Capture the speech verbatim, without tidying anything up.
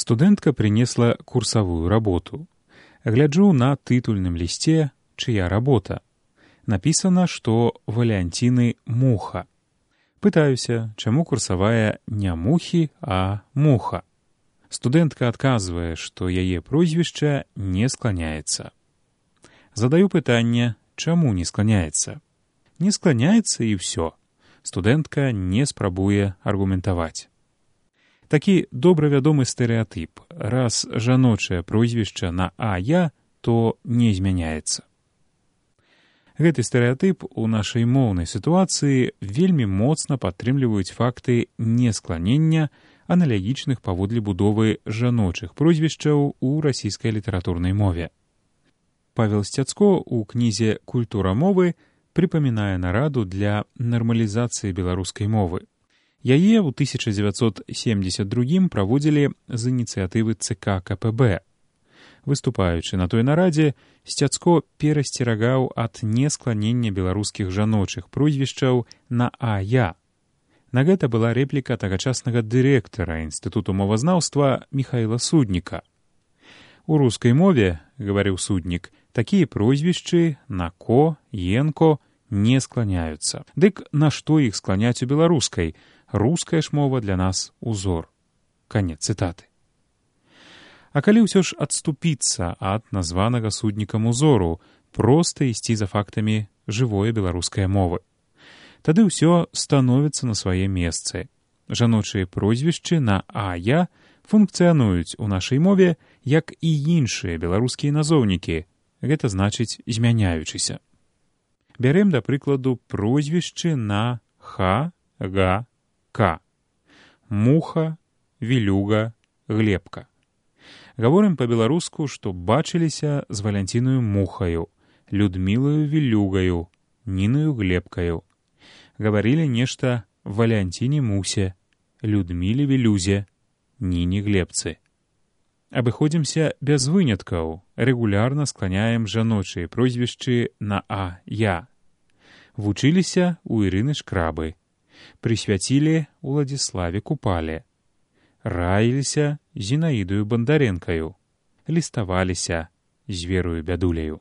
Студэнтка принесла курсовую работу. Гляджу на тытульным лісце, чыя работа. Напісана, што Валянціны муха. Пытаюся, чаму курсавая не мухі, а муха. Студэнтка адказвае, што яе прозвішча не скланяецца. Задаю пытанне, чаму не скланяецца. Не скланяецца і ўсё. Студэнтка не спрабуе аргументаваць. Такі добра вядомы стэрэатып. Раз жаночае прозвішча на а-я, то не змяняецца. Гэты стэрэатып у нашай моўнай сітуацыі вельмі моцна падтрымліваюць факты нескланення аналагічных паводле будовы жаночых прозвішчаў у расійскай літаратурнай мове. Павел Сцяцко ў кнізе «Культура мовы» прыпамінае нараду для нармалізацыі беларускай мовы. Яе ў тысяча дзевяцьсот семдзесят другім праводзілі з ініцыятывы ЦК КПБ. Выступаючы на той нарадзе, Сцяцко перасцерагаў ад нескланення беларускіх жаночых прозвішчаў на а-я. На гэта была рэпліка тагачаснага дырэктара Інстытуту мовазнаўства Міхаіла Судніка. У рускай мове, гаварыў Суднік, такія прозвішчы на ко, енко не скланяюцца. Дык нашто іх скланяць у беларускай? Руская ж мова для нас узор. Канец цытаты. А калі ўсё ж адступіцца ад названага Суднікам узору, проста ісці за фактамі жывое беларускай мовы. Тады ўсё становіцца на свае месцы. Жаночыя прозвішчы на а-я функцыянуюць у нашай мове, як і іншыя беларускія назоўнікі, гэта значыць змяняючыся. Бярэм, да прыкладу, прозвішчы на ха, га, ка. Муха, вілюга, глебка. Гаворым па-беларуску, што бачыліся з Валянцінаю мухаю, Людмілаю вілюгаю, Нінаю глебкаю. Гаварылі нешта Валянціне мусе, Людміле вілюзе, Ніні глебцы. Абыходзімся без выняткаў, рэгулярна скланяем жаночыя прозвішчы на а-я. Вучыліся ў Ірыны Шкрабы, прысвяцілі Уладзіславе Купале, раіліся Зінаідаю Бандарэнкаю, ліставаліся з Верою Бядуляю.